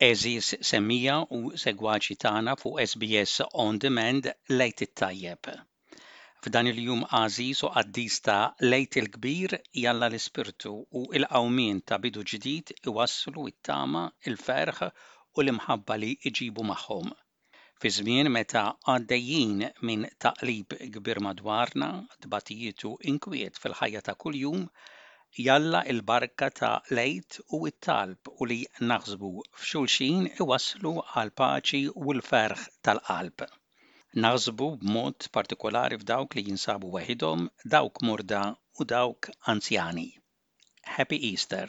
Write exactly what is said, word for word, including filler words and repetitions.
Għeżież semmiegħa u segwaċi tagħna fuq S B S On Demand, l-Għid it-tajjeb. F'dan il-jum għażiż u qaddis ta' l-Għid il-Kbir, jalla l-ispirtu u l-qawmien ta' bidu ġdid iwasslu it-tama, il-ferħ u l-imħabba li iġibu magħhom. Fi żmien meta għaddejjin minn taqlib kbir madwarna, tbatijiet u inkwiet fil-ħajja ta' kuljum, jalla il-barka ta' l-Għid u t-talb u li naħsbu f'xulxin iwasslu għal paċi u l-ferħ tal-qalb. Naħsbu b'mod partikolari f'dawk li jinsabu waħidhom, dawk morda u dawk anzjani. Happy Easter!